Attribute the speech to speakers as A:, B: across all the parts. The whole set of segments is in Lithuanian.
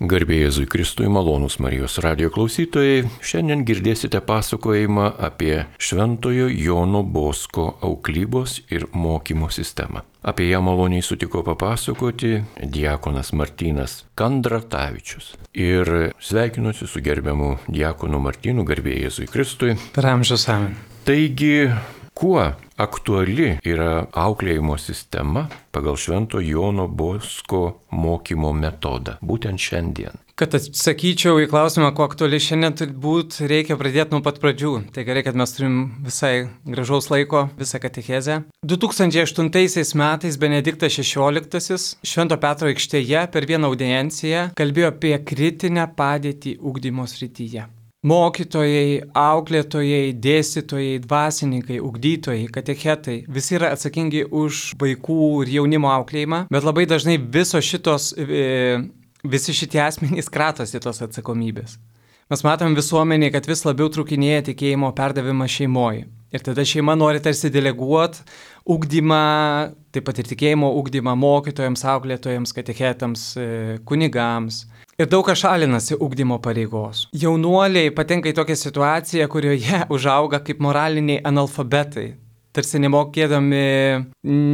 A: Garbė Jėzui Kristui, malonūs Marijos radijo klausytojai, šiandien girdėsite pasakojimą apie Šventojo Jono Bosko auklybos ir mokymo sistemą. Apie ją maloniai sutiko papasakoti diakonas Martynas Kandratavičius. Ir sveikinuosi su gerbiamu diakonu Martynu, garbė Jėzui Kristui.
B: Per amžius amen.
A: Taigi, kuo aktuali yra auklėjimo sistema pagal Švento Jono Bosko mokymo metodą, būtent šiandien?
B: Kad atsakyčiau į klausimą, kuo aktuali šiandien, turbūt reikia pradėti nuo pat pradžių. Tai gerai, kad mes turim visai gražaus laiko, visą katechezę. 2008 metais Benediktas XVI Švento Petro aikštėje per vieną audienciją kalbėjo apie kritinę padėtį ugdymo srityje. Mokytojai, auklėtojai, dėstytojai, dvasininkai, ugdytojai, katechetai, visi yra atsakingi už vaikų ir jaunimo auklėjimą, bet labai dažnai visi šitie asmenys kratosi tos atsakomybės. Mes matom visuomenėje, kad vis labiau trūkinėja tikėjimo perdavimą šeimoje. Ir tada šeima nori tarsi deleguoti ugdymą, taip pat ir tikėjimo ugdymą mokytojams, auklėtojams, katechetams, kunigams. Ir daug kas šalinasi ugdymo pareigos. Jaunuoliai patenka į tokią situaciją, kurioje užauga kaip moraliniai analfabetai, tarsi nemokėdami,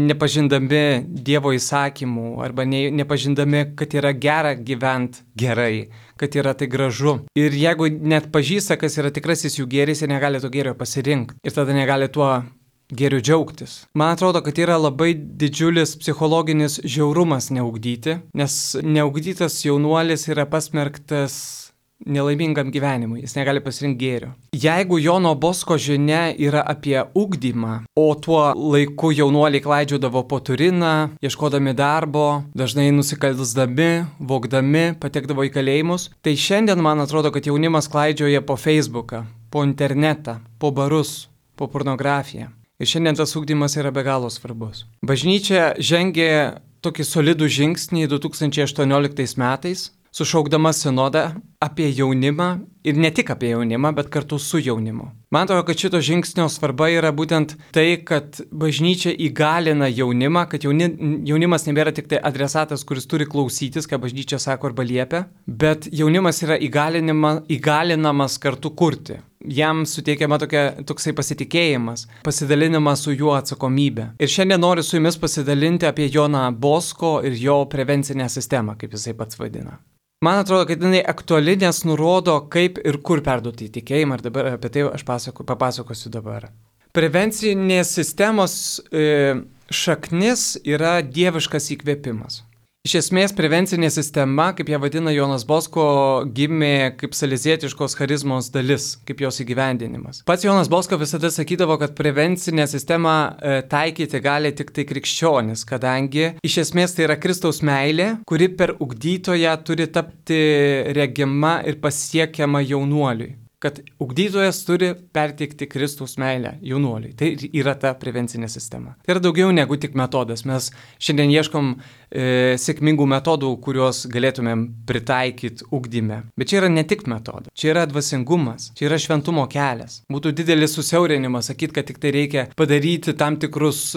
B: nepažindami Dievo įsakymų arba nepažindami, kad yra gera gyventi gerai, kad yra tai gražu. Ir jeigu net pažįsta, kas yra tikrasis jų gėris, jie negali to gėrio pasirinkti ir tada negali tuo geriu džiaugtis. Man atrodo, kad yra labai didžiulis psichologinis žiaurumas neugdyti, nes neugdytas jaunuolis yra pasmerktas nelaimingam gyvenimui, jis negali pasirinkti gėrio. Jeigu Jono Bosko žinia yra apie ugdymą, o tuo laiku jaunuoliai klaidžiodavo po Turiną, ieškodami darbo, dažnai nusikalsdami, vogdami, patekdavo į kalėjimus, tai šiandien man atrodo, kad jaunimas klaidžioja po Facebooką, po internetą, po barus, po pornografiją. Ir šiandien tas ugdymas yra be galo svarbus. Bažnyčia žengė tokį solidų žingsnį 2018 metais, sušaukdama sinodą apie jaunimą ir ne tik apie jaunimą, bet kartu su jaunimu. Man atrodo, kad šito žingsnio svarba yra būtent tai, kad bažnyčia įgalina jaunimą, kad jaunimas nebėra tik tai adresatas, kuris turi klausytis, ką bažnyčia sako arba liepia, bet jaunimas yra įgalinamas kartu kurti. Jam suteikiama toksai pasitikėjimas, pasidalinimas su juo atsakomybė. Ir šiandien noriu su jumis pasidalinti apie Joną Bosko ir jo prevencinę sistemą, kaip jisai pats vadina. Man atrodo, kad jinai aktuali, nes nurodo, kaip ir kur perduoti tikėjimą, ir dabar apie tai aš papasakosiu dabar. Prevencinės sistemos šaknis yra dieviškas įkvėpimas. Iš esmės, prevencinė sistema, kaip ją vadina Jonas Bosko, gimė kaip salizietiškos charizmos dalis, kaip jos įgyvendinimas. Pats Jonas Bosko visada sakydavo, kad prevencinę sistemą taikyti gali tik tai krikščionis, kadangi iš esmės tai yra Kristaus meilė, kuri per ugdytoją turi tapti regima ir pasiekiama jaunuoliui. Kad ugdytojas turi perteikti Kristaus meilę jaunuoliui. Tai yra ta prevencinė sistema. Tai yra daugiau negu tik metodas. Mes šiandien ieškom sėkmingų metodų, kuriuos galėtumėm pritaikyti ugdyme. Bet čia yra ne tik metodas. Čia yra dvasingumas. Čia yra šventumo kelias. Būtų didelis susiaurinimas sakyti, kad tik tai reikia padaryti tam tikrus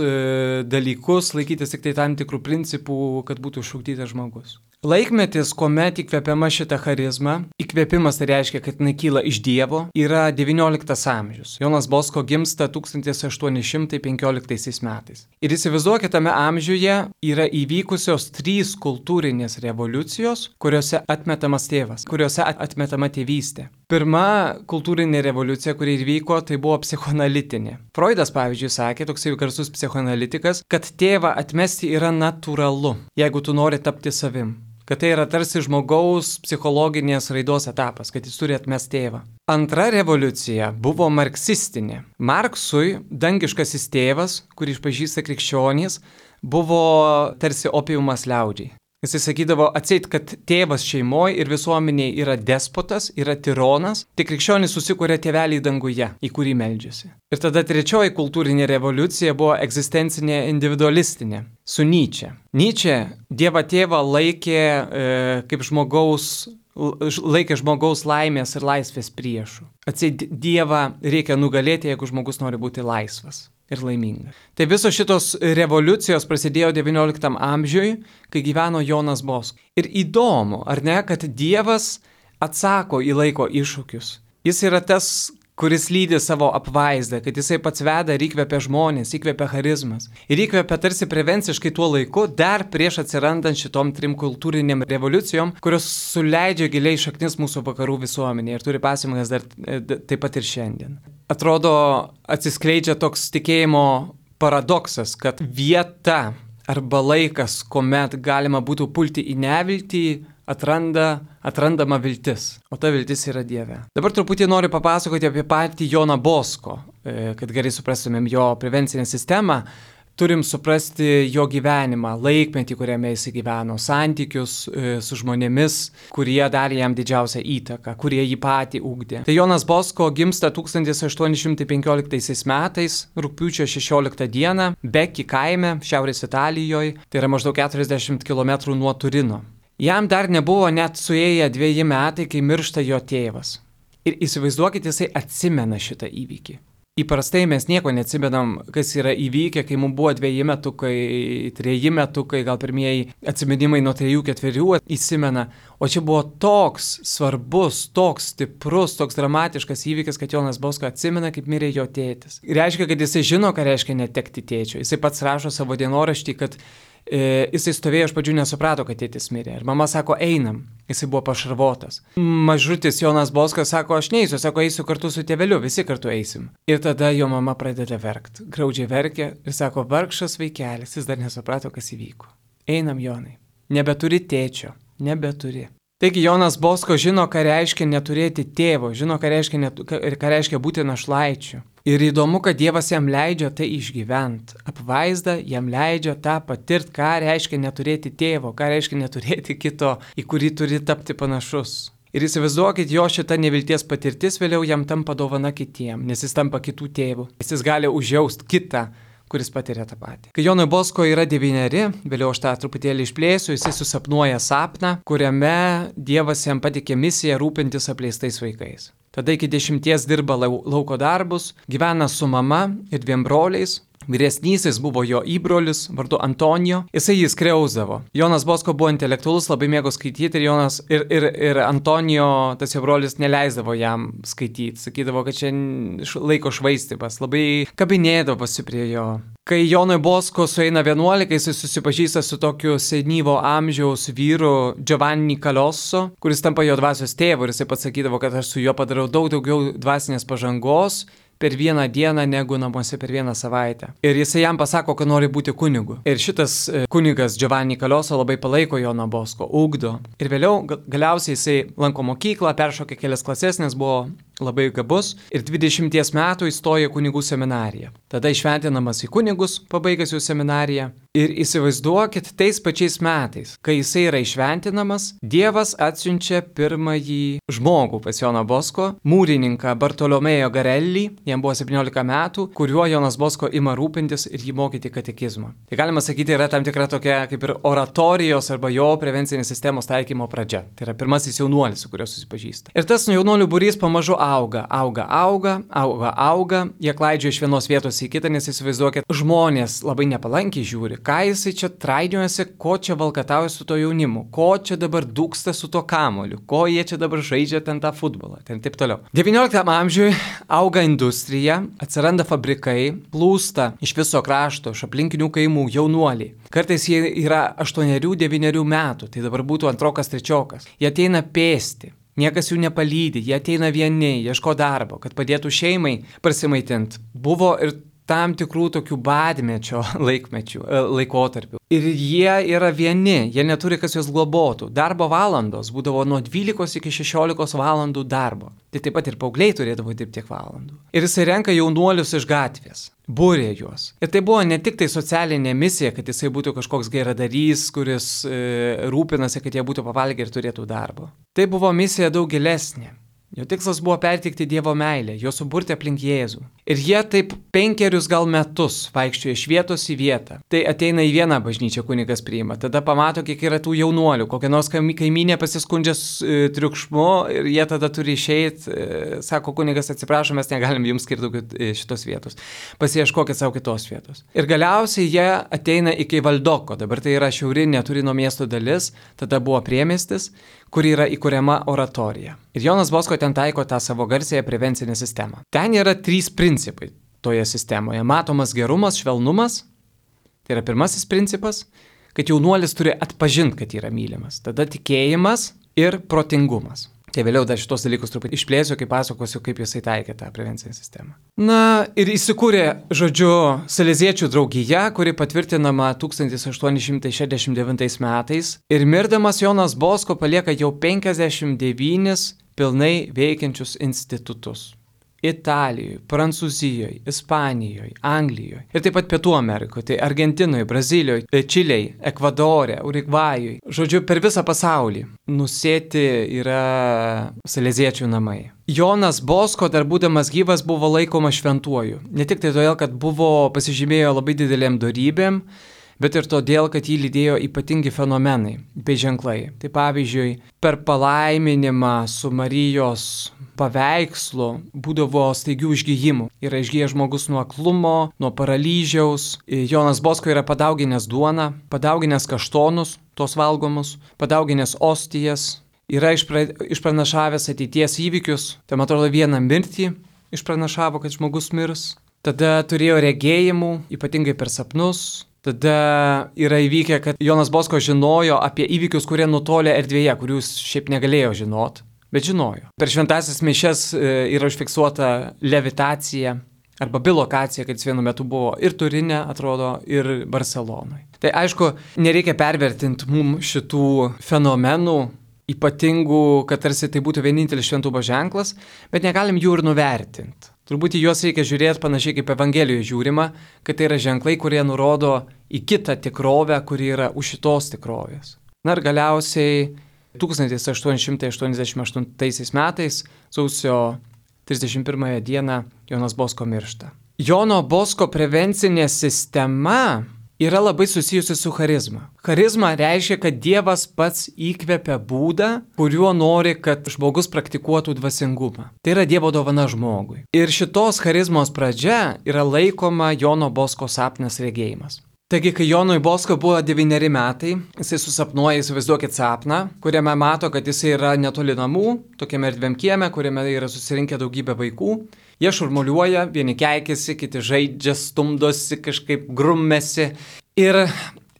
B: dalykus, laikytis tik tai tam tikrų principų, kad būtų išugdytas žmogus. Laikmetis, kuomet įkvėpiama šitą charizmą, įkvėpimas tai reiškia, kad jinai kyla iš Dievo, yra XIX amžius. Jonas Bosko gimsta 1815 metais. Ir įsivaizduokite, tame amžiuje yra įvykusios 3 kultūrinės revoliucijos, kuriuose atmetamas tėvas, kuriuose atmetama tėvystė. Pirma kultūrinė revoliucija, kuri įvyko, tai buvo psichoanalitinė. Freudas, pavyzdžiui, sakė, toksai garsus psichoanalitikas, kad tėvą atmesti yra natūralu, jeigu tu nori tapti savim. Kad tai yra tarsi žmogaus psichologinės raidos etapas, kad jis turi atmesti tėvą. Antra revoliucija buvo marksistinė. Marksui dangiškasis tėvas, kurį išpažįsta krikščionys, buvo tarsi opiumas liaudžiai. Jisai sakydavo atseit, kad tėvas šeimoje ir visuomeniai yra despotas, yra tironas, tik krikščionis susikuria tėvelį danguje, į kurį meldžiasi. Ir tada trečioji kultūrinė revoliucija buvo egzistencinė individualistinė, su Nyčė. Nyčė Dievą tėvą laikė žmogaus laimės ir laisvės priešų. Atseit Dievą reikia nugalėti, jeigu žmogus nori būti laisvas. ir laimingas. Tai visos šitos revoliucijos prasidėjo XIX amžiui, kai gyveno Jonas Bosko. Ir įdomu, ar ne, kad Dievas atsako į laiko iššūkius. Jis yra tas, kuris lydi savo apvaizdą, kad jisai pats veda ir įkvepia žmonės, įkvepia charizmas. Ir įkvepia tarsi prevenciškai tuo laiku, dar prieš atsirandant šitom 3 kultūriniam revoliucijom, kurios suleidžia giliai šaknis mūsų vakarų visuomenėje ir turi pasekmes dar taip pat ir šiandien. Atrodo, atsiskleidžia toks tikėjimo paradoksas, kad vieta arba laikas, kuomet galima būtų pulti į neviltį, atrandama viltis, o ta viltis yra Dieve. Dabar truputį noriu papasakoti apie patį Joną Bosko, kad gerai suprastumėm jo prevencinę sistemą, turim suprasti jo gyvenimą, laikmetį, kuriame jis gyveno, santykius su žmonėmis, kurie darė jam didžiausią įtaką, kurie jį patį ugdė. Tai Jonas Bosko gimsta 1815 metais, rugpjūčio 16 dieną, Beki kaime, šiaurės Italijoje, tai yra maždaug 40 km nuo Turino. Jam dar nebuvo net suėję 2 metai, kai miršta jo tėvas. Ir įsivaizduokit, jisai atsimena šitą įvykį. Įprastai mes nieko neatsimenam, kas yra įvykę, kai mums buvo 2 metukai, 3 metukai, gal pirmieji atsiminimai nuo 3-4 įsimena. O čia buvo toks svarbus, toks stiprus, toks dramatiškas įvykis, kad Jonas Bosko atsimena, kaip mirė jo tėtis. Reiškia, kad jisai žino, ką reiškia netekti tėčio. Jisai pats rašo savo dienoraštį, kad jisai stovėjo, iš pradžių nesuprato, kad tėtis mirė. Ir mama sako, einam. Jisai buvo pašarvotas. Mažutis Jonas Boskas sako, aš neisiu, sako, eisiu kartu su tėveliu, visi kartu eisim. Ir tada jo mama pradeda verkti. Graudžiai verkia ir sako, vargšas vaikelis, jis dar nesuprato, kas įvyko. Einam, Jonai. Nebeturi tėčio. Nebeturi. Taigi Jonas Bosko žino, ką reiškia neturėti tėvo, žino, ką reiškia būti našlaičiu. Ir įdomu, kad Dievas jam leidžia tai išgyventi. Apvaizda jam leidžia tą patirti, ką reiškia neturėti tėvo, ką reiškia neturėti kito, į kurį turi tapti panašus. Ir įsivaizduokit, jo šita nevilties patirtis vėliau jam tampa dovana kitiem, nes jis tampa kitų tėvų. Jis gali užjausti kitą, kuris patiria tą patį. Kai Jonui Bosko yra 9, vėliau aš tą truputėlį išplėsiu, jis susapnuoja sapną, kuriame Dievas jam patikė misiją rūpintis apleistais vaikais. Tada iki 10 dirba lauko darbus, gyvena su mama ir 2 broliais. Vyresnysis buvo jo įbrolis, vardu Antonijo, jisai jį skriausdavo. Jonas Bosko buvo intelektualus, labai mėgo skaityti ir Antonijo, tas jo brolis, neleisdavo jam skaityti. Sakydavo, kad čia laiko švaistymas, labai kabinėdavosi prie jo. Kai Jonui Bosko sueina 11, jisai susipažįsta su tokiu senyvo amžiaus vyru Giovanni Calosso, kuris tampa jo dvasios tėvu ir jisai pats sakydavo, kad aš su juo padarau daug daugiau dvasinės pažangos per 1 dieną negu namuose per 1 savaitę. Ir jisai jam pasako, kad nori būti kunigu. Ir šitas kunigas Giovanni Calosso labai palaiko Joną Bosko, ugdo. Ir vėliau galiausiai jisai lanko mokyklą, peršokė kelias klases, nes buvo labai gabus. Ir 20 metų įstoja kunigų seminariją. Tada išventinamas į kunigus, pabaigęs jų seminariją. Ir įsivaizduokit, tais pačiais metais, kai jisai yra išventinamas, Dievas atsiunčia pirmąjį žmogų pas Joną Bosko, mūrininką Bartolomeo Garelli, jam buvo 17 metų, kuriuo Jonas Bosko ima rūpintis ir jį mokyti katekizmą. Tai galima sakyti, yra tam tikra tokia kaip ir oratorijos arba jo prevencinės sistemos taikymo pradžia. Tai yra pirmasis jaunuolis, su kuriuo susipažįsta. Ir tas jaunuolių būrys pamažu auga. Jie klaidžioja iš vienos vietos į kitą, nes įsivaizduokit, žmonės labai nepalankiai žiūri. Ką jisai čia traidžiuojasi, ko čia valkatauja su to jaunimu, ko čia dabar dūksta su to kamoliu, ko jie čia dabar žaidžia ten tą futbolą, ten taip toliau. 19 amžiui auga industrija, atsiranda fabrikai, plūsta iš viso krašto, iš aplinkinių kaimų jaunuoliai. Kartais jie yra 8-9 metų, tai dabar būtų 2-3. Jie ateina pėsti. Niekas jų nepalydi, jie ateina vieni, ieško darbo, kad padėtų šeimai prasimaitinti. Buvo ir tam tikrų tokių badmečio laikotarpių. Ir jie yra vieni, jie neturi kas juos globotų. Darbo valandos būdavo nuo 12 iki 16 valandų darbo. Tai taip pat ir paaugliai turėdavo dirbti tiek valandų. Ir jisai renka jaunuolius iš gatvės, būrė juos. Ir tai buvo ne tik tai socialinė misija, kad jisai būtų kažkoks geradarys, kuris rūpinasi, kad jie būtų pavalgę ir turėtų darbo. Tai buvo misija daug gilesnė. Jo tikslas buvo perteikti Dievo meilę, jo suburti aplink Jėzų. Ir jie taip 5 gal metus vaikščioja iš vietos į vietą. Tai ateina į vieną bažnyčią kunigas priima, tada pamato, kiek yra tų jaunuolių, kokia nors kaimynė pasiskundžia triukšmu ir jie tada turi išeiti, sako kunigas, atsiprašom, mes negalim jums skirti daugiau šitos vietos, pasiieškokit savo kitos vietos. Ir galiausiai jie ateina iki Valdoko, dabar tai yra šiaurinė Turino miesto dalis, tada buvo priemiestis, kur yra įkuriama oratorija. Ir Jonas Bosko ten taiko tą savo garsėją prevencinę sistemą. Ten yra 3 principai toje sistemoje. Matomas gerumas, švelnumas, tai yra pirmasis principas, kad jaunuolis turi atpažinti, kad yra mylimas. Tada tikėjimas ir protingumas. Tai vėliau dar šitos dalykus truputį išplėsiu, kai pasakosiu, kaip jisai taikė tą prevencinę sistemą. Na ir įsikūrė, žodžiu, Saleziečių draugija, kuri patvirtinama 1869 metais. Ir mirdamas Jonas Bosko palieka jau 59 pilnai veikiančius institutus. Italijoje, Prancūzijoje, Ispanijoje, Anglijoje ir taip pat Pietų Amerikoje, tai Argentinoje, Brazilijoje, Čilėje, Ekvadore, Urugvajoje. Žodžiu, per visą pasaulį nusėti yra saleziečių namai. Jonas Bosko, dar būdamas gyvas, buvo laikomas šventuoju. Ne tik tai todėl, kad pasižymėjo labai didelėm dorybėm, bet ir todėl, kad jį lydėjo ypatingi fenomenai bei ženklai. Tai pavyzdžiui, per palaiminimą su Marijos paveikslu būdavo staigių išgijimų. Yra išgijęs žmogus nuo aklumo, nuo paralyžiaus. Jonas Bosko yra padauginęs duoną, padauginęs kaštonus, tos valgomus, padauginęs ostijas. Yra išpranašavęs ateities įvykius. Tai man atrodo vieną mirtį išpranašavo, kad žmogus mirs. Tada turėjo regėjimų, ypatingai per sapnus. Tada yra įvykę, kad Jonas Bosko žinojo apie įvykius, kurie nutolė erdvėje, kurių jis šiaip negalėjo žinot, bet žinojo. Per šventąsias mišias yra užfiksuota levitacija arba bilokacija, kad jis vienu metu buvo ir Turine, atrodo, ir Barcelonoje. Tai aišku, nereikia pervertinti mums šitų fenomenų, ypatingų, kad tarsi tai būtų vienintelis šventumo ženklas, bet negalim jų ir nuvertinti. Turbūt į juos reikia žiūrėti panašiai kaip Evangelijoje žiūrima, kad tai yra ženklai, kurie nurodo į kitą tikrovę, kuri yra už šitos tikrovės. Na ir galiausiai 1888 metais, sausio 31 dieną, Jonas Bosko miršta. Jono Bosko prevencinė sistema yra labai susijusi su charizma. Charizma reiškia, kad Dievas pats įkvepia būdą, kuriuo nori, kad žmogus praktikuotų dvasingumą. Tai yra Dievo dovana žmogui. Ir šitos charizmos pradžia yra laikoma Jono Bosko sapnas regėjimas. Taigi, kai Jonui Bosko buvo 9 metai, jisai susapnuoja, įsivaizduokit sapną, kuriame mato, kad jisai yra netoli namų, tokiame erdviam kieme, kuriame yra susirinkę daugybė vaikų. Jie šurmuliuoja, vieni keikėsi, kiti žaidžia, stumdosi, kažkaip grummėsi. Ir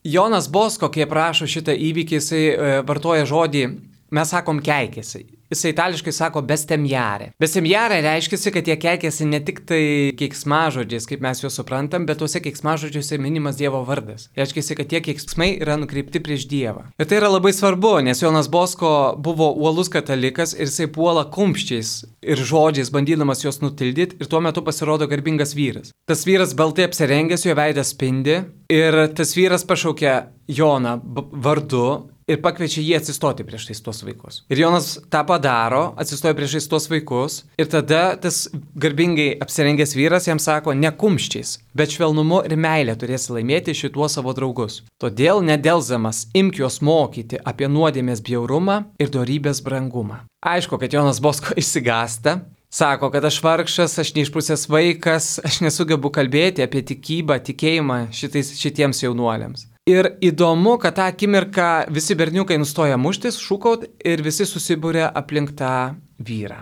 B: Jonas Bosko, kai aprašo šitą įvykį, jisai vartoja žodį, mes sakom keikėsi. Jisai itališkai sako bestemjare. Bestemjare reiškia, kad jie keikėsi ne tik tai keiksmažodžiais, kaip mes juos suprantam, bet tuose keiksmažodžiuose minimas Dievo vardas. Reiškia, kad tie keiksmai yra nukreipti prieš Dievą. Ir tai yra labai svarbu, nes Jonas Bosko buvo uolus katalikas ir jisai puola kumščiais ir žodžiais, bandydamas juos nutildyti, ir tuo metu pasirodo garbingas vyras. Tas vyras baltai apsirengęs, jo veidas spindi, ir tas vyras pašaukia Joną vardu ir pakviečia jį atsistoti prieš tuos vaikus. Ir Jonas tą padaro, atsistoja prieš tuos vaikus, ir tada tas garbingai apsirengęs vyras jam sako, ne kumščiais, bet švelnumu ir meilė turėsi laimėti šituos savo draugus. Todėl nedelzamas imk juos mokyti apie nuodėmės bjaurumą ir dorybės brangumą. Aišku, kad Jonas Bosko išsigąsta, sako, kad aš vargšas, aš neišprusęs vaikas, aš nesugebu kalbėti apie tikėjimą šitiems jaunuoliams. Ir įdomu, kad tą akimirką visi berniukai nustoja muštis, šūkaut ir visi susibūrė aplink tą vyrą.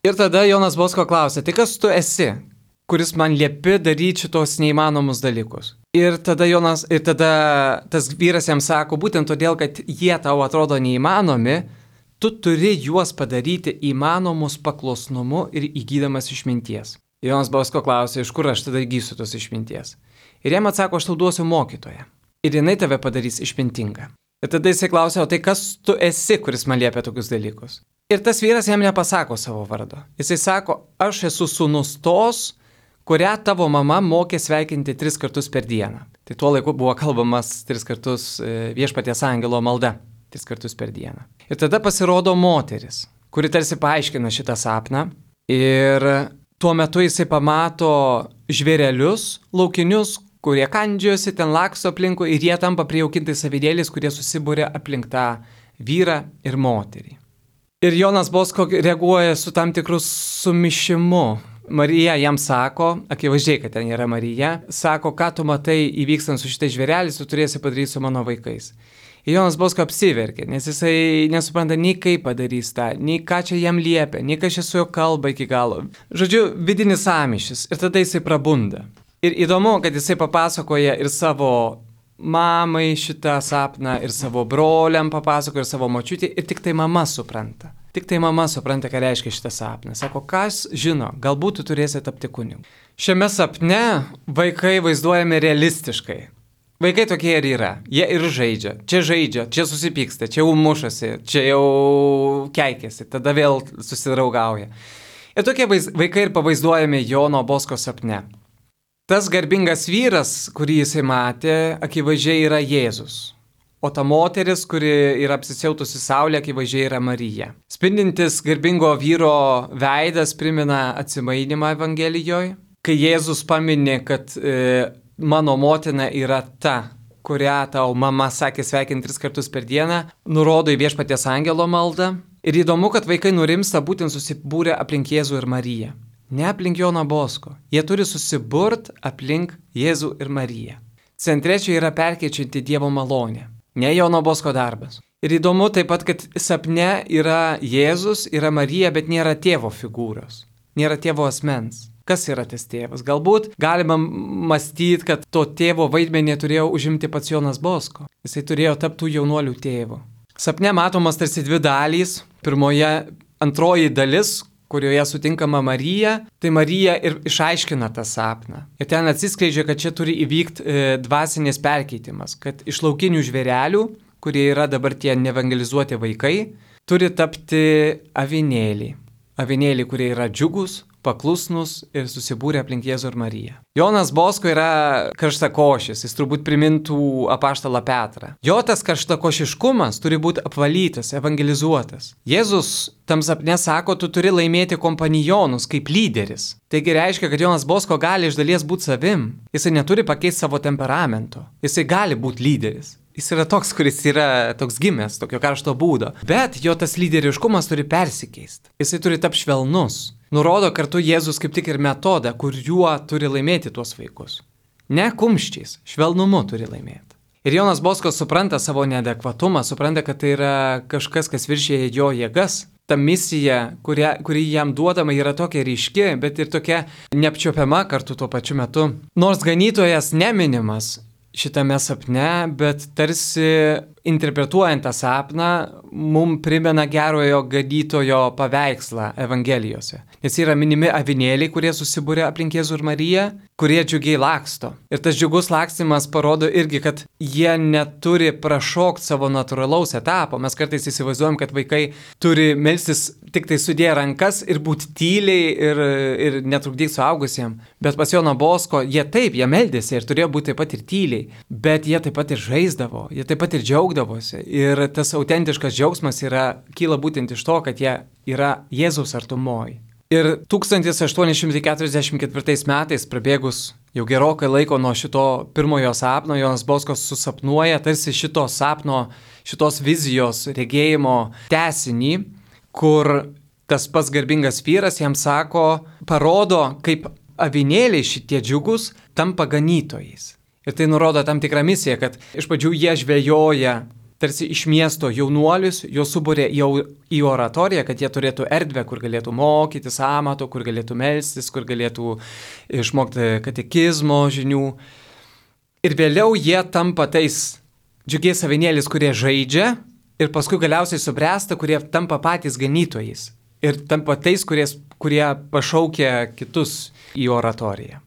B: Ir tada Jonas Bosko klausia, tai kas tu esi, kuris man liepi daryti šitos neįmanomus dalykus? Ir tada tas vyras jam sako, būtent todėl, kad jie tau atrodo neįmanomi, tu turi juos padaryti įmanomus paklusnumu ir įgydamas išminties. Jonas Bosko klausia, iš kur aš tada įgysiu tos išminties? Ir jam atsako, aš tau duosiu mokytoją. Ir jinai tave padarys išmintingą. Ir tada jisai klausia, o tai kas tu esi, kuris man liepia tokius dalykus? Ir tas vyras jam nepasako savo vardo. Jisai sako, aš esu sūnus tos, kurią tavo mama mokė sveikinti 3 kartus per dieną. Tai tuo laiku buvo kalbamas 3 kartus viešpaties angelo malda. 3 kartus per dieną. Ir tada pasirodo moteris. kuri tarsi paaiškina šitą sapną. Ir tuo metu jisai pamato žvėrelius laukinius, kurie kandžiosi, ten laksto aplinkui ir jie tampa prijaukintais avinėliais, kurie susibūrė aplink tą vyrą ir moterį. Ir Jonas Bosko reaguoja su tam tikru sumišimu. Marija jam sako, akivaizdžiai, kad ten yra Marija, sako, ką tu matai įvykstant su šitais žvėreliais, tu turėsi padaryti su mano vaikais. Ir Jonas Bosko apsiverkė, nes jisai nesupranta nei kaip padarys tą, nei ką čia jam liepia, nei ką čia su jo kalba iki galo. Žodžiu, vidinis sąmyšis ir tada jisai prabunda. Ir įdomu, kad jisai papasakoja ir savo mamai šitą sapną, ir savo broliam papasakoja, ir savo močiutį, ir tik tai mama supranta. Tik tai mama supranta, ką reiškia šitą sapną. Sako, kas žino, galbūt tu turėsi tapti kunigu. Šiame sapne vaikai vaizduojami realistiškai. Vaikai tokie ir yra. Jie ir žaidžia, čia susipyksta, čia jau mušasi, čia jau keikiasi, tada vėl susidraugauja. Ir tokie vaikai ir pavaizduojami Jono Bosko sapne. Tas garbingas vyras, kurį jisai matė, akivaizdžiai yra Jėzus. O ta moteris, kuri yra apsisiautusi saulė, akivaizdžiai yra Marija. Spindintis garbingo vyro veidas primena atsimainimą Evangelijoje, kai Jėzus paminė, kad mano motina yra ta, kurią tau mama sakė sveikinti 3 kartus per dieną, nurodo į Viešpaties angelo maldą. Ir įdomu, kad vaikai nurimsta būtent susibūrę aplink Jėzų ir Mariją. Ne aplink Joną Bosko. Jie turi susiburt aplink Jėzų ir Mariją. Centre čia yra perkeičianti Dievo malonė. Ne Jono Bosko darbas. Ir įdomu taip pat, kad sapne yra Jėzus, yra Marija, bet nėra tėvo figūros. Nėra tėvo asmens. Kas yra tas tėvas? Galbūt galima mąstyti, kad to tėvo vaidmenį turėjo užimti pats Jonas Bosko. Jisai turėjo tapti jaunuolių tėvu. Sapne matomas tarsi 2 dalys. Pirmoje, antroji dalis, kurioje sutinkama Marija, tai Marija ir išaiškina tą sapną. Ir ten atsiskleidžia, kad čia turi įvykti dvasinės perkeitimas, kad iš laukinių žvėrelių, kurie yra dabar tie neevangelizuoti vaikai, turi tapti avinėliai. Avinėliai, kurie yra džiugus, paklusnus ir susibūrė aplink Jėzų ir Mariją. Jonas Bosko yra karštakošis, jis turbūt primintų apaštalą Petrą. Jo tas karštakošiškumas turi būti apvalytas, evangelizuotas. Jėzus tam sapne sako, tu turi laimėti kompanionus kaip lyderis. Taigi reiškia, kad Jonas Bosko gali iš dalies būti savim. Jisai neturi pakeisti savo temperamento. Jisai gali būti lyderis. Jis yra toks, kuris yra toks gimęs, tokio karšto būdo. Bet jo tas lyderiškumas turi persikeisti. Jisai turi tapti švelnus. Nurodo kartu Jėzus kaip tik ir metodą, kuriuo turi laimėti tuos vaikus. Ne kumščiais, švelnumu turi laimėti. Ir Jonas Bosko supranta savo neadekvatumą, supranta, kad tai yra kažkas, kas viršėja jo jėgas. Ta misija, kuri jam duodama, yra tokia ryški, bet ir tokia neapčiopiama kartu tuo pačiu metu. Nors ganytojas neminimas šitame sapne, bet tarsi interpretuojant tą sapną, mums primena gerojo ganytojo paveikslą Evangelijose. Nes yra minimi avinėliai, kurie susibūrė aplink Jėzų ir Mariją, kurie džiugiai laksto. Ir tas džiugus lakstimas parodo irgi, kad jie neturi prašokti savo natūralaus etapo. Mes kartais įsivaizduojam, kad vaikai turi melstis tik tai sudėję rankas ir būti tyliai ir netrukdyti suaugusiems. Bet pas Joną Bosko jie meldėsi ir turėjo būti taip pat ir tyliai. Bet jie taip pat ir žaisdavo, jie taip pat ir džiaugdavosi. Ir tas autentiškas džiaugsmas kyla būtent iš to, kad jie yra Jėzaus artumoj. Ir 1844 metais, prabėgus jau gerokai laiko nuo šito pirmojo sapno, Jonas Boskas susapnuoja tarsi šito sapno, šitos vizijos regėjimo tęsinį, kur tas pats garbingas vyras jam sako, parodo, kaip avinėliai šitie džiugus tampa ganytojais. Ir tai nurodo tam tikrą misiją, kad iš pradžių jie žvejoja tarsi iš miesto jaunuolius, juos suburė jau į oratoriją, kad jie turėtų erdvę, kur galėtų mokytis amato, kur galėtų melstis, kur galėtų išmokti katekizmo žinių. Ir vėliau jie tampa tais džiugiais avinėliais, kurie žaidžia ir paskui galiausiai subręsta, kurie tampa patys ganytojais. Ir tampa tais, kurie pašaukia kitus į oratoriją.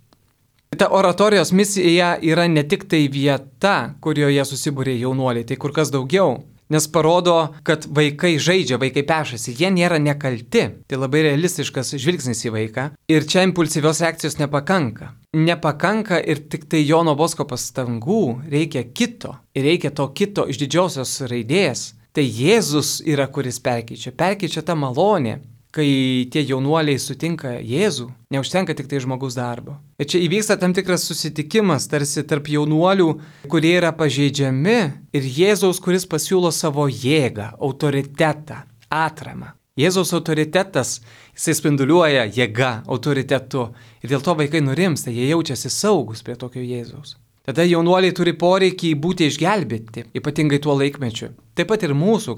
B: Ta oratorijos misija yra ne tik tai vieta, kurioje susibūrė jaunuoliai, tai kur kas daugiau, nes parodo, kad vaikai žaidžia, vaikai pešasi, jie nėra nekalti. Tai labai realistiškas žvilgsnis į vaiką. Ir čia impulsyvios reakcijos nepakanka. Nepakanka ir tik tai Jono Bosko pastangų, reikia kito. Ir reikia to kito iš didžiosios raidės, Tai Jėzus yra, kuris perkeičia tą malonę. Kai tie jaunuoliai sutinka Jėzų, neužtenka tik tai žmogus darbo. Ir čia įvyksta tam tikras susitikimas tarsi tarp jaunuolių, kurie yra pažeidžiami, ir Jėzaus, kuris pasiūlo savo jėgą, autoritetą, atramą. Jėzaus autoritetas, jisai spinduliuoja jėga, autoritetu. Ir dėl to vaikai nurimsta, jie jaučiasi saugus prie tokio Jėzaus. Tada jaunuoliai turi poreikį būti išgelbėti, ypatingai tuo laikmečiu. Taip pat ir mūsų,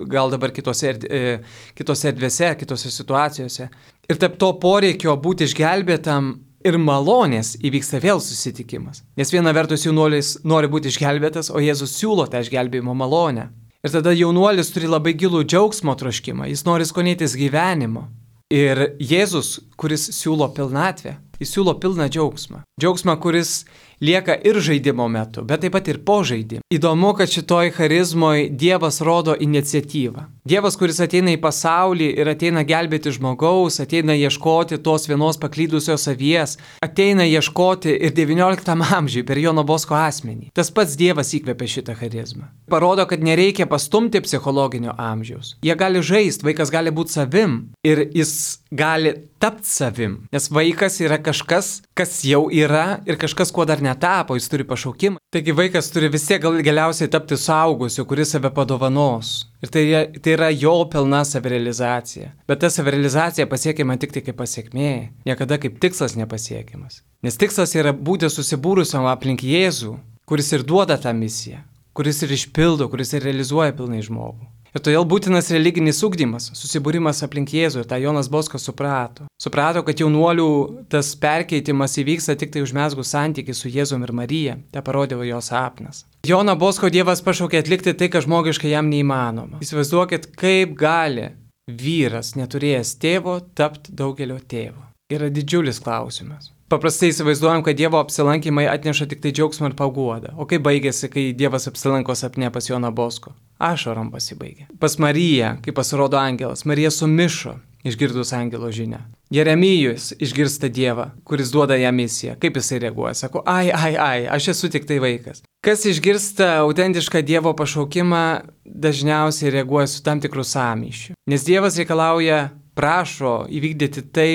B: gal dabar kitose erdvėse, kitose situacijose. Ir tarp to poreikio būti išgelbėtam ir malonės įvyksta vėl susitikimas. Nes viena vertus jaunuolis nori būti išgelbėtas, o Jėzus siūlo tą išgelbėjimo malonę. Ir tada jaunuolis turi labai gilų džiaugsmo troškimą, jis nori skonėtis gyvenimo. Ir Jėzus, kuris siūlo pilnatvę, jis siūlo pilną džiaugsmą. Džiaugsmą, kuris lieka ir žaidimo metu, bet taip pat ir po žaidimo. Įdomu, kad šitoj charizmoje Dievas rodo iniciatyvą. Dievas, kuris ateina į pasaulį ir ateina gelbėti žmogaus, ateina ieškoti tos vienos paklydusios avies, ateina ieškoti ir XIX amžiui per Jono Bosko asmenį. Tas pats Dievas įkvėpė šitą charizmą. Parodo, kad nereikia pastumti psichologinio amžiaus. Jie gali žaisti, vaikas gali būti savim ir jis gali tapti savim. Nes vaikas yra kažkas, kas jau yra ir kažkas, kuo dar netapo, jis turi pašaukimą. Taigi vaikas turi vis tiek galiausiai tapti suaugusiu, kuris save padovanos. Ir tai yra jo pilna savirealizacija. Bet ta savirealizacija pasiekiama tik tai kaip pasiekmė, niekada kaip tikslas nepasiekiamas. Nes tikslas yra būti susibūrusiam aplink Jėzų, kuris ir duoda tą misiją, kuris ir išpildo, kuris ir realizuoja pilnai žmogų. Ir todėl būtinas religinis ugdymas, susibūrimas aplink Jėzų, ir tą Jonas Boskas suprato. Suprato, kad jaunuolių tas perkeitimas įvyksta tik tai užmezgus santykį su Jėzum ir Marija. Tai parodė jo sapnas. Joną Bosko Dievas pašaukė atlikti tai, kas žmogiškai jam neįmanoma. Įsivaizduokit, kaip gali vyras, neturėjęs tėvo, tapti daugelio tėvo. Yra didžiulis klausimas. Paprastai įsivaizduojam, kad Dievo apsilankymai atneša tik tai džiaugsmą ir paguodą. O kaip baigėsi, kai Dievas apsilanko sapne pas Joną Bosko? Ašarom pasibaigė. Pas Mariją, kai pasirodo angelas, Marija sumišo, išgirdus angelo žinią. Jeremijus išgirsta Dievą, kuris duoda jam misiją. Kaip jisai reaguoja? Sako, aš esu tik tai vaikas. Kas išgirsta autentišką Dievo pašaukimą, dažniausiai reaguoja su tam tikrų sąmyšių. Nes Dievas reikalauja, prašo įvykdyti tai,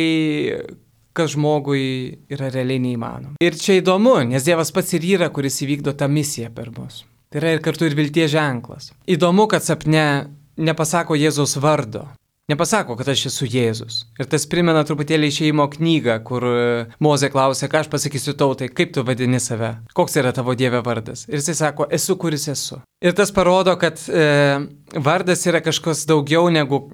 B: kas žmogui yra realiai neįmanoma. Ir čia įdomu, nes Dievas pats ir yra, kuris įvykdo tą misiją per mus. Tai yra ir kartu ir vilties ženklas. Įdomu, kad sapne nepasako Jėzaus vardo. Nepasako, kad aš esu Jėzus. Ir tas primena truputėlį Išėjimo knygą, kur Mozė klausė, ką aš pasakysiu tautai, kaip tu vadini save, koks yra tavo Dieve vardas. Ir jisai sako, esu, kuris esu. Ir tas parodo, kad vardas yra kažkas daugiau negu,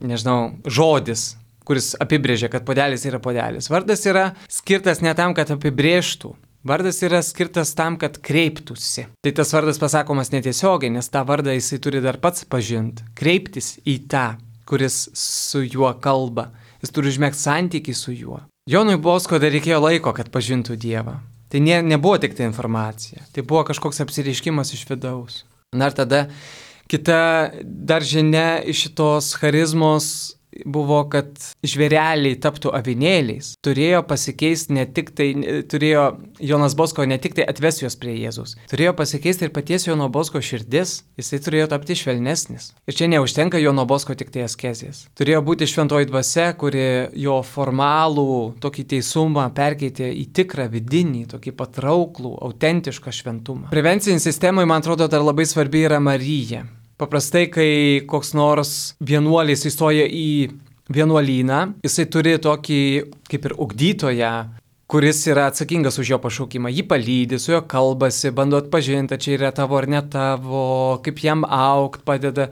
B: žodis, kuris apibrėžia, kad puodelis yra puodelis. Vardas yra skirtas ne tam, kad apibrėžtų. Vardas yra skirtas tam, kad kreiptųsi. Tai tas vardas pasakomas netiesiogiai, nes tą vardą jisai turi dar pats pažinti. Kreiptis į tą, kuris su juo kalba. Jis turi užmegzti santykį su juo. Jonui Bosko dar reikėjo laiko, kad pažintų Dievą. Tai nebuvo tik tai informacija. Tai buvo kažkoks apsireiškimas iš vidaus. Na ir tada kita dar žinia iš šitos charizmos buvo, kad žvėreliai taptų avinėliais. Turėjo pasikeisti Jonas Bosko ne tik tai atvesti juos prie Jėzus. Turėjo pasikeisti ir paties Jono Bosko širdis. Jisai turėjo tapti švelnesnis. Ir čia neužtenka Jono Bosko tik tai askezės. Turėjo būti šventoji dvasia, kuri jo formalų tokį teisumą perkeitė į tikrą vidinį, tokį patrauklų, autentišką šventumą. Prevencinė sistema, man atrodo, dar labai svarbi yra Marija. Paprastai, kai koks nors vienuolis įstoja į vienuolyną, jisai turi tokį kaip ir ugdytoją, kuris yra atsakingas už jo pašaukimą. Jį palydi, su juo kalbasi, bando atpažinti, čia yra tavo ar ne tavo, kaip jam augt padeda.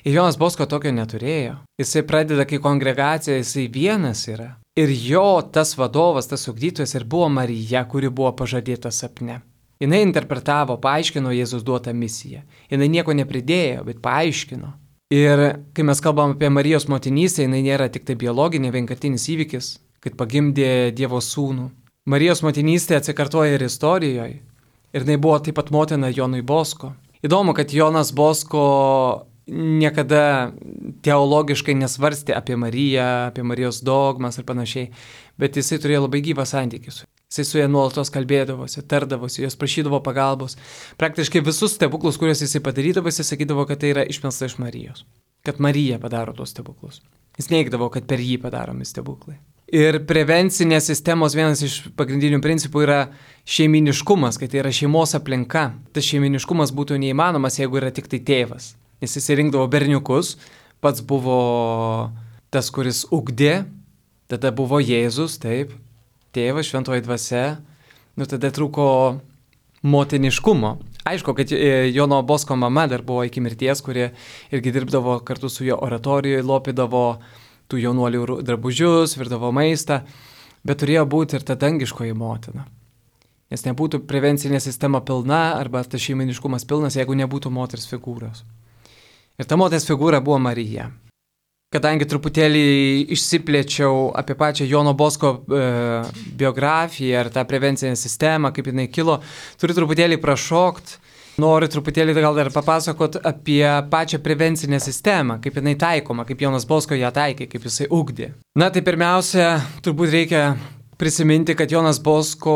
B: Ir Jonas Bosko tokio neturėjo. Jisai pradeda, kai kongregacija, jisai vienas yra. Ir jo tas vadovas, tas ugdytojas ir buvo Marija, kuri buvo pažadėta sapne. Jinai interpretavo, paaiškino Jėzus duotą misiją. Jinai nieko nepridėjo, bet paaiškino. Ir kai mes kalbam apie Marijos motinystę, jinai nėra tik tai biologinė, vienkartinis įvykis, kad pagimdė Dievo sūnų. Marijos motinystė atsikartoja ir istorijoje. Ir jinai buvo taip pat motina Jonui Bosko. Įdomu, kad Jonas Bosko niekada teologiškai nesvarstė apie Mariją, apie Marijos dogmas ir panašiai, bet jisai turėjo labai gyvą santykį su. Jisai su ja nuolatos kalbėdavosi, tardavosi, jos prašydavo pagalbos. Praktiškai visus stebuklus, kuriuos jisai padarydavo, jisai sakydavo, kad tai yra išmelsta iš Marijos. Kad Marija padaro tos stebuklus. Jis neigdavo, kad per jį padaromi stebuklai. Ir prevencinės sistemos vienas iš pagrindinių principų yra šeiminiškumas, kad tai yra šeimos aplinka. Tas šeiminiškumas būtų neįmanomas, jeigu yra tik tai tėvas. Jis įsirinkdavo berniukus, pats buvo tas, kuris ugdė, tada buvo Jėzus, taip, tėvas, šventoji dvasia, tada trūko motiniškumo. Aišku, kad Jono Bosko mama dar buvo iki mirties, kurie irgi dirbdavo kartu su jo oratorijoje, lopydavo tų jaunuolių drabužius, virdavo maistą, bet turėjo būti ir ta dangiškoji motina. Nes nebūtų prevencinė sistema pilna arba tas šeiminiškumas pilnas, jeigu nebūtų moters figūros. Ir ta moters figūra buvo Marija. Kadangi truputėlį išsiplėčiau apie pačią Jono Bosko biografiją ar tą prevencinę sistemą, kaip jinai kilo, turiu truputėlį prašokti. Noriu truputėlį gal dar papasakot apie pačią prevencinę sistemą, kaip jinai taikoma, kaip Jonas Bosko ją taikė, kaip jisai ugdė. Na tai pirmiausia, turbūt reikia prisiminti, kad Jonas Bosko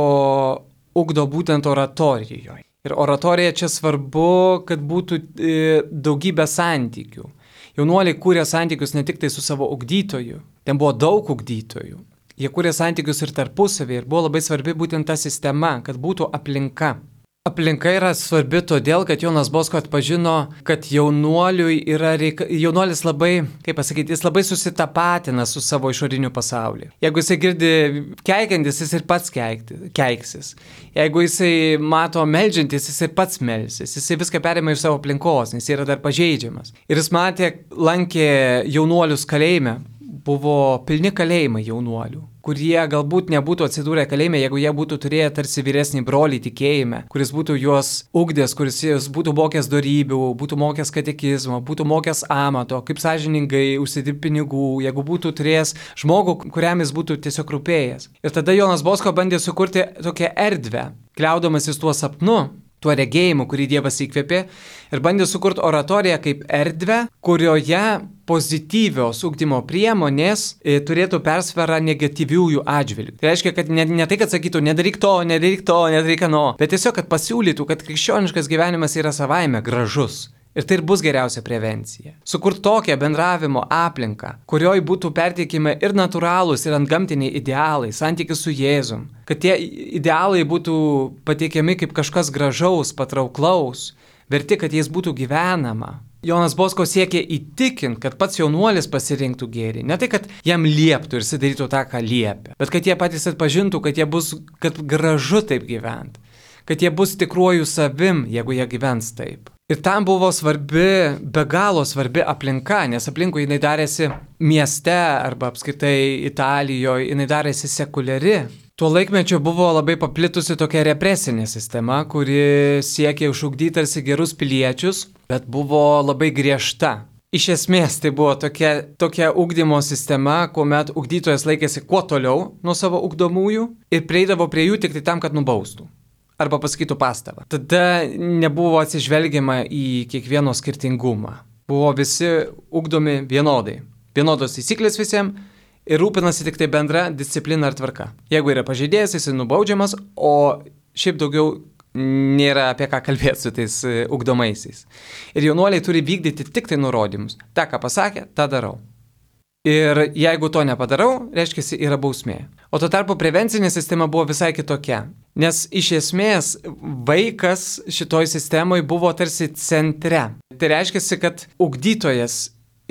B: ugdo būtent oratorijoje. Ir oratorija čia svarbu, kad būtų daugybė santykių. Jaunuoliai kūrė santykius ne tik tai su savo ugdytoju, ten buvo daug ugdytojų. Jie kūrė santykius ir tarpusavį ir buvo labai svarbi būtent ta sistema, kad būtų aplinka. Aplinka yra svarbi todėl, kad Jonas Bosko atpažino, kad jaunuolis labai, kaip pasakyti, jis labai susitapatina su savo išoriniu pasauliu. Jeigu jisai girdi keikiantis, jis ir pats keiksis. Jeigu jisai mato meldžiantis, jis ir pats melsis. Jisai viską perima iš savo aplinkos, nes jis yra dar pažeidžiamas. Ir jis lankė jaunuolius kalėjime. Buvo pilni kalėjimai jaunuolių, kurie galbūt nebūtų atsidūrę kalėjime, jeigu jie būtų turėję tarsi vyresnį brolį tikėjime, kuris būtų juos ugdęs, kuris būtų mokęs dorybių, būtų mokęs katekizmo, būtų mokęs amato, kaip sąžiningai užsidirbti pinigų, jeigu būtų turėjęs žmogų, kuriam jis būtų tiesiog rūpėjęs. Ir tada Jonas Bosko bandė sukurti tokią erdvę, kliaudamasis tuo sapnu, tuo regėjimu, kurį Dievas įkvėpė, ir bandė sukurti oratoriją kaip erdvę, kurioje pozityvios ugdymo priemonės turėtų persvarą negatyviųjų atžvilgių. Tai reiškia, kad ne tai, kad sakytų, nedaryk to, nedaryk ano, bet tiesiog, kad pasiūlytų, kad krikščioniškas gyvenimas yra savaime gražus. Ir tai ir bus geriausia prevencija. Sukurti tokią bendravimo aplinką, kurioje būtų perteikimi ir natūralūs, ir antgamtiniai idealai, santykis su Jėzum. Kad tie idealai būtų pateikiami kaip kažkas gražaus, patrauklaus, verti, kad jais būtų gyvenama. Jonas Bosko siekė įtikinti, kad pats jaunuolis pasirinktų gėrį. Ne tai, kad jam lieptų ir sidarytų tą, ką liepia, bet kad jie patys atpažintų, kad gražu taip gyventi. Kad jie bus tikruoju savim, jeigu jie gyvens taip. Ir tam buvo be galo svarbi aplinka, nes aplinkui jinai darėsi mieste arba apskritai Italijoje, jinai darėsi sekuliari. Tuo laikmečiu buvo labai paplitusi tokia represinė sistema, kuri siekė išugdyti tarsi gerus piliečius, bet buvo labai griežta. Iš esmės tai buvo tokia ugdymo sistema, kuomet ugdytojas laikėsi kuo toliau nuo savo ugdomųjų ir prieidavo prie jų tik tai tam, kad nubaustų. Arba pasakytų pastabą. Tada nebuvo atsižvelgiama į kiekvieno skirtingumą. Buvo visi ugdomi vienodai. Vienodos taisyklės visiems ir rūpinasi tik tai bendra disciplina ar tvarka. Jeigu yra pažeidėjas, jis nubaudžiamas, o šiaip daugiau nėra apie ką kalbėti su tais ugdomaisiais. Ir jaunuoliai turi vykdyti tik tai nurodymus. Ta, ką pasakė, tą darau. Ir jeigu to nepadarau, reiškia, yra bausmė. O tuo tarpu prevencinė sistema buvo visai kitokia. Nes iš esmės vaikas šitoj sistemoje buvo tarsi centre. Tai reiškia, kad ugdytojas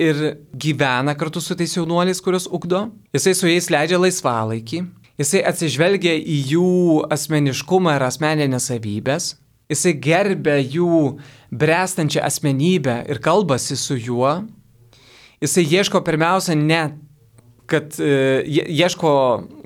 B: ir gyvena kartu su tais jaunuoliais, kuriuos ugdo. Jisai su jais leidžia laisvalaikį. Jisai atsižvelgia į jų asmeniškumą ir asmeninės savybės. Jisai gerbia jų bręstančią asmenybę ir kalbasi su juo. Jisai ieško pirmiausia ieško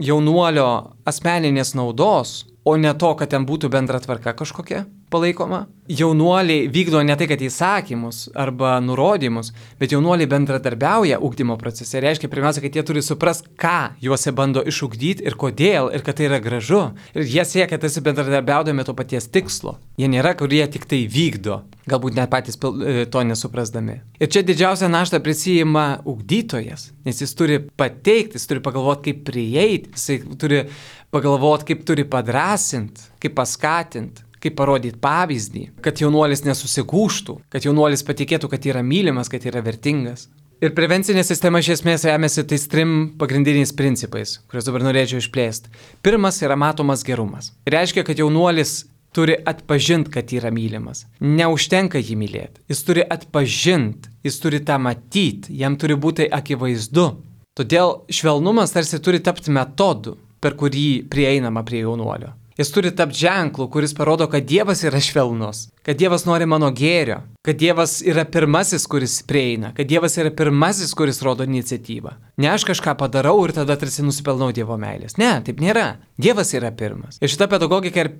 B: jaunuolio asmeninės naudos, o ne to, kad ten būtų bendra tvarka kažkokia. palaikoma. Jaunuoliai vykdo ne tai, kad įsakymus arba nurodymus, bet jaunuoliai bendradarbiauja ugdymo procese. Reiškia, pirmiausia, kad jie turi suprasti, ką juose bando išugdyti ir kodėl, ir kad tai yra gražu. Ir jie siekia tarsi bendradarbiaudami to paties tikslo. Jie nėra, kurie tik tai vykdo, galbūt net patys to nesuprasdami. Ir čia didžiausią naštą prisijima ugdytojas, nes jis turi pateikti, jis turi pagalvoti, kaip prieiti, jis turi pagalvoti, kaip turi padrasinti, kaip paskatinti, kaip parodyti pavyzdį, kad jaunuolis nesusigūštų, kad jaunuolis patikėtų, kad yra mylimas, kad yra vertingas. Ir prevencinė sistema iš esmės remiasi tais 3 pagrindiniais principais, kuriuos dabar norėčiau išplėsti. Pirmas yra matomas gerumas. Reiškia, kad jaunuolis turi atpažinti, kad yra mylimas. Neužtenka jį mylėti. Jis turi atpažinti, jis turi tą matyti, jam turi būti akivaizdu. Todėl švelnumas tarsi turi tapti metodu, per kurį prieinama prie jaunuolio. Jis turi tapti ženklu, kuris parodo, kad Dievas yra švelnus, kad Dievas nori mano gėrio, kad Dievas yra pirmasis, kuris prieina, kad Dievas yra pirmasis, kuris rodo iniciatyvą. Ne aš kažką padarau ir tada tarsi nusipelnau Dievo meilės. Ne, taip nėra. Dievas yra pirmas. Ir šita pedagogika ir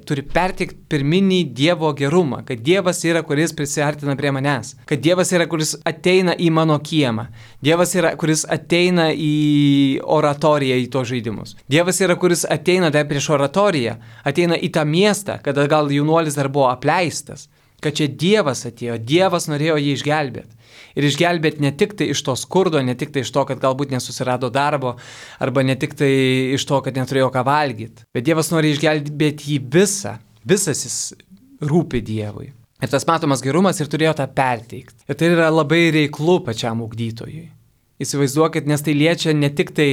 B: turi perteikti pirminį Dievo gerumą, kad Dievas yra, kuris prisiartina prie manęs, kad Dievas yra, kuris ateina į mano kiemą, Dievas yra, kuris ateina į oratoriją, į tos žaidimus. Dievas yra, kuris ateina dar prieš oratoriją, ateina į tą miestą, kada gal jaunuolis dar buvo apleistas, kad čia Dievas atėjo, Dievas norėjo jį išgelbėti. Ir išgelbėti ne tik tai iš to skurdo, ne tik tai iš to, kad galbūt nesusirado darbo, arba ne tik tai iš to, kad neturėjo ką valgyti, bet Dievas nori išgelbėti jį visas jis rūpi Dievui. Ir tas matomas gerumas ir turėjo tą perteikti. Ir tai yra labai reiklu pačiam ugdytojui. Įsivaizduokit, nes tai liečia ne tik tai,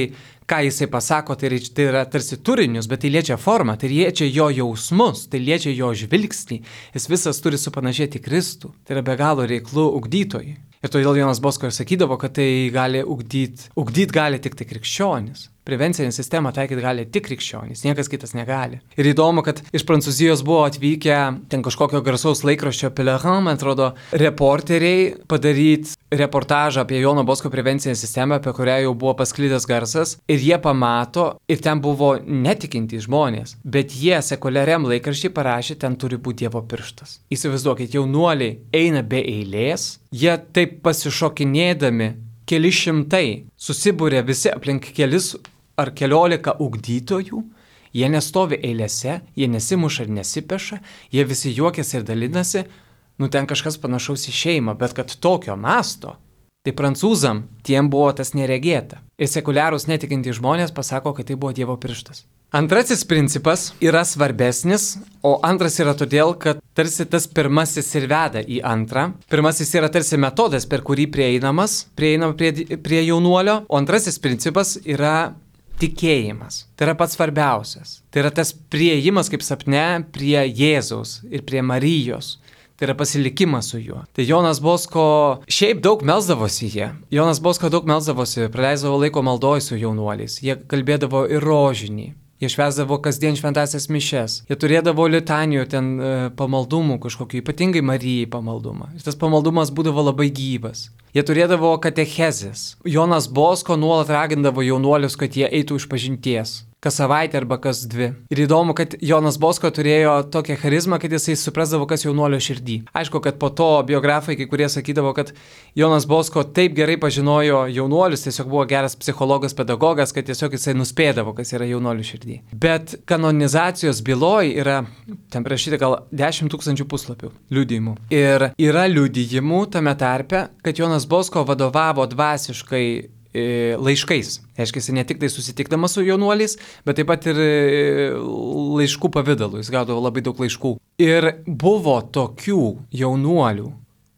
B: ką jisai pasako, tai yra tarsi turinius, bet tai liečia formą, tai liečia jo jausmus, tai liečia jo žvilgsnį. Jis visas turi supanašėti Kristų. Tai yra be galo reiklu ugdytojui. Ir todėl Jonas Bosko ir sakydavo, kad tai gali ugdyti gali tik tai krikščionis. Prevencinę sistemą taikyti gali tik krikščionys, niekas kitas negali. Ir įdomu, kad iš Prancūzijos buvo atvykę ten kažkokio garsaus laikraščio Pelerin, man atrodo, reporteriai padaryti reportažą apie Jono Bosko prevencinę sistemą, apie kurią jau buvo pasklidęs garsas. Ir jie pamato, ir ten buvo netikintys žmonės, bet jie sekuliariam laikraščiui parašė, ten turi būti Dievo pirštas. Įsivaizduokit, jaunuoliai eina be eilės, jie taip pasišokinėdami, keli šimtai susibūrė visi aplink kelis ar keliolika ugdytojų, jie nestovi eilėse, jie nesimuša ir nesipeša, jie visi juokiasi ir dalinasi, ten kažkas panašaus į šeimą, bet kad tokio masto, tai prancūzam tiem buvo tas neregėta. Ir sekuliarūs netikintys žmonės pasako, kad tai buvo Dievo pirštas. Antrasis principas yra svarbesnis, o antras yra todėl, kad tarsi tas pirmasis ir veda į antrą. Pirmasis yra tarsi metodas, per kurį prieinama prie jaunuolio, o antrasis principas yra tikėjimas. Tai yra pats svarbiausias. Tai yra tas prieimas kaip sapne prie Jėzaus ir prie Marijos. Tai yra pasilikimas su juo. Tai Jonas Bosko šiaip daug melsdavosi jie. Jonas Bosko daug melsdavosi, praleisdavo laiko maldoj su jaunuoliais. Jie kalbėdavo ir rožinį. Jie švęsdavo kasdien šventasias mišes. Jie turėdavo litanijų ten pamaldumų kažkokiu, ypatingai Marijai pamaldumą. Ir tas pamaldumas būdavo labai gyvas. Jie turėdavo katechezės. Jonas Bosko nuolat ragindavo jaunuolius, kad jie eitų išpažinties. Kas savaitę arba kas 2. Ir įdomu, kad Jonas Bosko turėjo tokią charizmą, kad jisai suprasdavo, kas jaunuolio širdį. Aišku, kad po to biografai kai kurie sakydavo, kad Jonas Bosko taip gerai pažinojo jaunuolius, tiesiog buvo geras psichologas, pedagogas, kad tiesiog jisai nuspėdavo, kas yra jaunuolio širdį. Bet kanonizacijos byloj yra, ten parašyta gal 10 000 puslapių liudijimų. Ir yra liudijimų tame tarpe, kad Jonas Bosko vadovavo dvasiškai laiškais. Reiškia, jis ne tik tai susitikdamas su jaunuoliais, bet taip pat ir laiškų pavidalu. Jis gaudavo labai daug laiškų. Ir buvo tokių jaunuolių,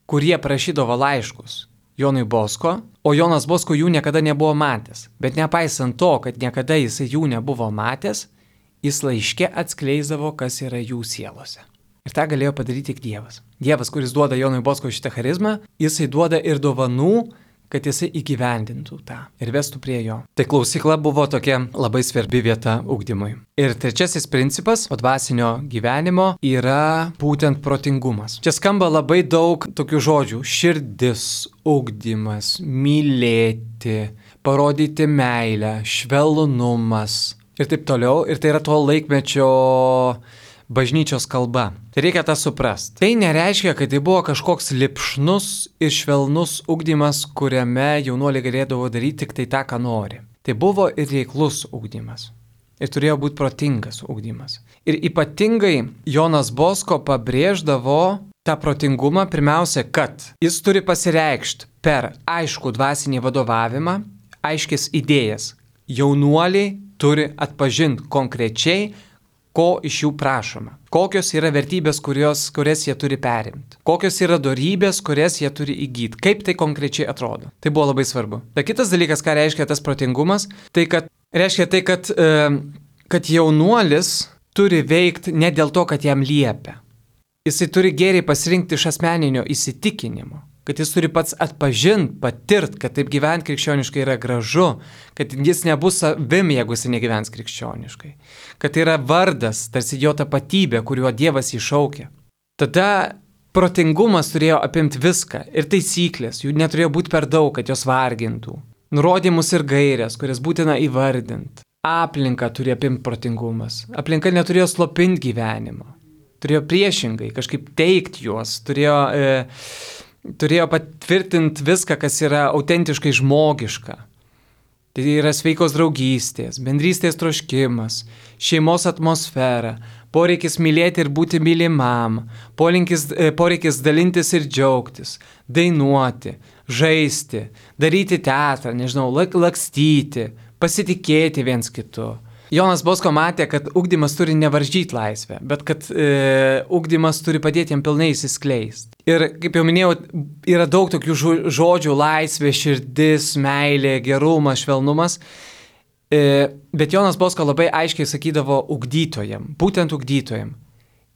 B: kurie prašydavo laiškus Jonui Bosko, o Jonas Bosko jų niekada nebuvo matęs. Bet nepaisant to, kad niekada jis jų nebuvo matęs, jis laiške atskleisdavo, kas yra jų sielose. Ir tą galėjo padaryti tik Dievas. Dievas, kuris duoda Jonui Bosko šitą charizmą, jisai duoda ir dovanų, kad jisai įgyvendintų tą ir vestų prie jo. Tai klausykla buvo tokia labai svarbi vieta ugdymui. Ir trečiasis principas po dvasinio gyvenimo yra būtent protingumas. Čia skamba labai daug tokių žodžių. Širdis, ugdymas, mylėti, parodyti meilę, švelnumas ir taip toliau. Ir tai yra to laikmečio bažnyčios kalba. Tai reikia tą suprasti. Tai nereiškia, kad tai buvo kažkoks lipšnus ir švelnus ugdymas, kuriame jaunuoliai galėdavo daryti tik tai tą, ką nori. Tai buvo ir reiklus ugdymas. Ir turėjo būti protingas ugdymas. Ir ypatingai Jonas Bosko pabrėždavo tą protingumą pirmiausia, kad jis turi pasireikšti per aiškų dvasinį vadovavimą, aiškis idėjas. Jaunuoliai turi atpažinti konkrečiai, ko iš jų prašoma. Kokios yra vertybės, kurias jie turi perimti. Kokios yra dorybės, kurias jie turi įgyti. Kaip tai konkrečiai atrodo. Tai buvo labai svarbu. Tai kitas dalykas, ką reiškia tas protingumas, reiškia tai, kad jaunuolis turi veikti ne dėl to, kad jam liepia. Jisai turi geriai pasirinkti iš asmeninio įsitikinimo. Kad jis turi pats atpažinti, patirt, kad taip gyventi krikščioniškai yra gražu, kad jis nebus savim, jeigu jis negyvens krikščioniškai. Kad tai yra vardas, tarsi jo tapatybė, kuriuo Dievas jį šaukia. Tada protingumas turėjo apimti viską ir taisyklės, jų neturėjo būti per daug, kad jos vargintų. Nurodymus ir gairias, kurias būtina įvardinti. Aplinka turi apimti protingumas. Aplinka neturėjo slopinti gyvenimo. Turėjo priešingai kažkaip teikti juos, turėjo patvirtinti viską, kas yra autentiškai žmogiška. Tai yra sveikos draugystės, bendrystės troškimas, šeimos atmosfera, poreikis mylėti ir būti mylimam, poreikis dalintis ir džiaugtis, dainuoti, žaisti, daryti teatrą, lakstyti, pasitikėti viens kitu. Jonas Bosko matė, kad ugdymas turi nevaržyti laisvę, bet kad ugdymas turi padėti jam pilnai įsiskleisti. Ir, kaip jau minėjau, yra daug tokių žodžių - laisvė, širdis, meilė, gerumas, švelnumas. Bet Jonas Bosko labai aiškiai sakydavo ugdytojam, būtent ugdytojam,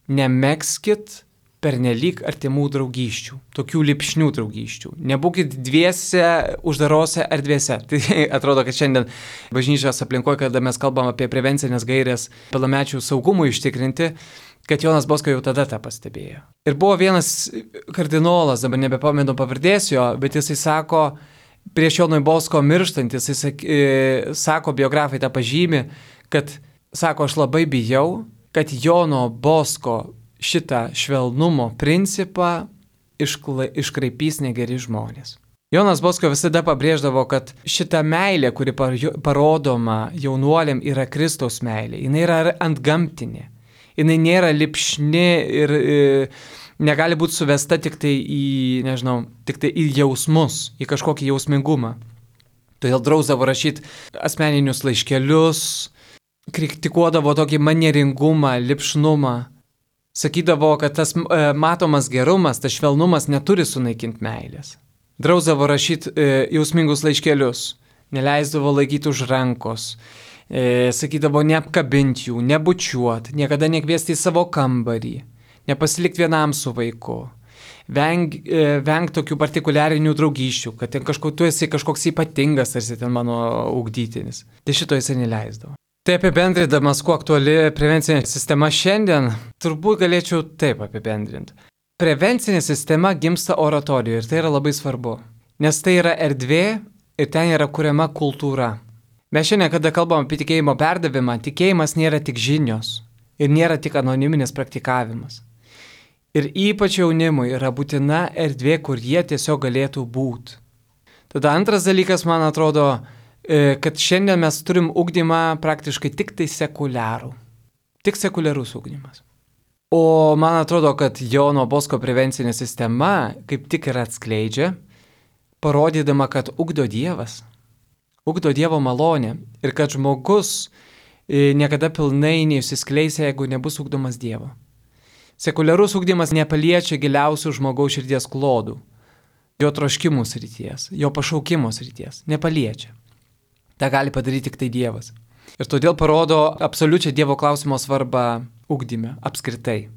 B: nemekskit pernelyg artimų draugysčių, tokių lipšnių draugysčių. Nebūkit dviese uždarose erdvėse. Tai atrodo, kad šiandien bažnyčios aplinkoje, kada mes kalbam apie prevencinės gairės pilnamečių saugumui ištikrinti, kad Jonas Bosko jau tada tą pastebėjo. Ir buvo vienas kardinolas, dabar nebepamenu pavardės jo, bet jisai sako, prieš Jonui Bosko mirštantis, jisai sako, biografai tą pažymi, kad, sako, aš labai bijau, kad Jono Bosko šitą švelnumo principą iškraipys negeri žmonės. Jonas Bosko visada pabrėždavo, kad šita meilė, kuri parodoma jaunuoliam, yra Kristaus meilė. Jis yra antgamtinė. Jis nėra lipšni ir negali būti suvesta tik tai į jausmus, į kažkokį jausmingumą. Todėl drausdavo rašyti asmeninius laiškelius, kritikuodavo tokį manieringumą, lipšnumą. Sakydavo, kad tas matomas gerumas, tas švelnumas neturi sunaikinti meilės. Drausdavo rašyti jausmingus laiškelius, neleisdavo laikyti už rankos, sakydavo neapkabinti jų, nebučiuoti, niekada nekviesti į savo kambarį, nepasilikti vienam su vaiku, venk tokių partikuliarinių draugysčių, kad tu esi kažkoks ypatingas, tarsi ten mano ugdytinis. Tai šito jisai neleisdavo. Tai apibendrindamas, kuo aktuali prevencinė sistema šiandien, turbūt galėčiau taip apibendrinti. Prevencinė sistema gimsta oratorijoje ir tai yra labai svarbu, nes tai yra erdvė ir ten yra kuriama kultūra. Mes šiandien, kada kalbam apie tikėjimo perdavimą, tikėjimas nėra tik žinios ir nėra tik anoniminis praktikavimas. Ir ypač jaunimui yra būtina erdvė, kur jie tiesiog galėtų būti. Tada antras dalykas, man atrodo, kad šiandien mes turim ugdymą praktiškai tik tai sekuliarų. Tik sekuliarus ugdymas. O man atrodo, kad Jono Bosko prevencinė sistema kaip tik ir atskleidžia, parodydama, kad ugdo Dievas. Ugdo Dievo malonę ir kad žmogus niekada pilnai neišsiskleis, jeigu nebus ugdomas Dievo. Sekuliarus ugdymas nepaliečia giliausių žmogaus širdies klodų, jo troškimų srities, jo pašaukimo srities. Nepaliečia. Ta gali padaryti tik tai Dievas. Ir todėl parodo absoliučią Dievo klausimo svarbą ugdyme, apskritai.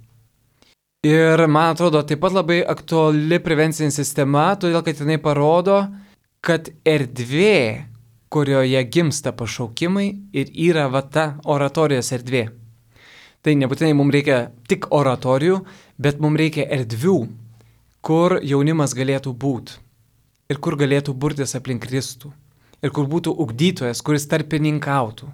B: Ir man atrodo, taip pat labai aktuali prevencinė sistema, todėl kad jinai parodo, kad erdvė, kurioje gimsta pašaukimai, ir yra ta oratorijos erdvė. Tai nebūtinai mums reikia tik oratorijų, bet mums reikia erdvių, kur jaunimas galėtų būti ir kur galėtų burtis aplink Kristų. Ir kur būtų ugdytojas, kuris tarpininkautų.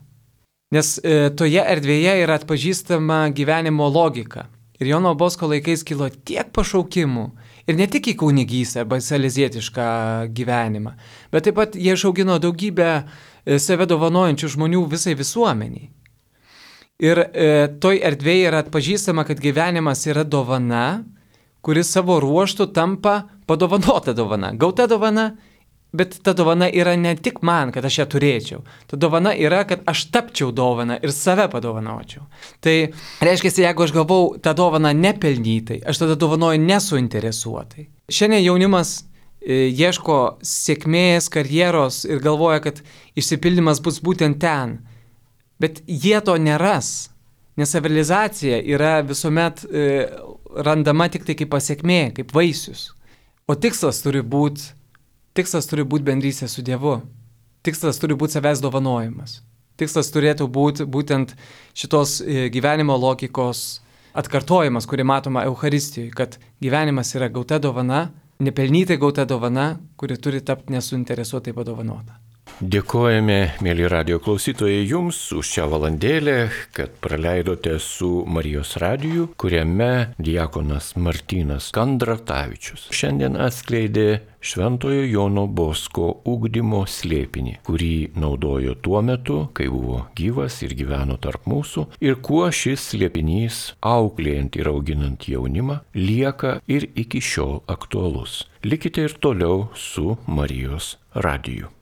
B: Nes toje erdvėje yra atpažįstama gyvenimo logika. Ir Jono Bosko laikais kilo tiek pašaukimų. Ir ne tik į kunigystę arba salezietišką gyvenimą, bet taip pat jie išaugino daugybę save dovanojančių žmonių visai visuomeniai. Ir toj erdvėje yra atpažįstama, kad gyvenimas yra dovana, kuris savo ruoštų tampa padovanota dovana, gauta dovana. Bet ta dovana yra ne tik man, kad aš ją turėčiau. Ta dovana yra, kad aš tapčiau dovana ir save padovanočiau. Tai reiškia, jeigu aš gavau tą dovaną nepelnytai, aš tada dovanoju nesuinteresuotai. Šiandien jaunimas ieško sėkmės, karjeros ir galvoja, kad išsipildymas bus būtent ten. Bet jie to neras, nes savirealizacija yra visuomet randama tik tai kaip pasiekmė, kaip vaisius. O tikslas turi būti bendrystė su Dievu. Tikslas turi būti savęs dovanojimas. Tikslas turėtų būti būtent šitos gyvenimo logikos atkartojimas, kurį matoma Eucharistijoje, kad gyvenimas yra gauta dovana, nepelnytai gauta dovana, kuri turi tapti nesuinteresuotai padovanota.
A: Dėkojame, mėly radio klausytojai, jums už šią valandėlę, kad praleidote su Marijos radiju, kuriame diakonas Martynas Kandratavičius šiandien atskleidė Šventojo Jono Bosko ugdymo slėpinį, kurį naudojo tuo metu, kai buvo gyvas ir gyveno tarp mūsų, ir kuo šis slėpinys, auklėjant ir auginant jaunimą, lieka ir iki šiol aktualus. Likite ir toliau su Marijos radiju.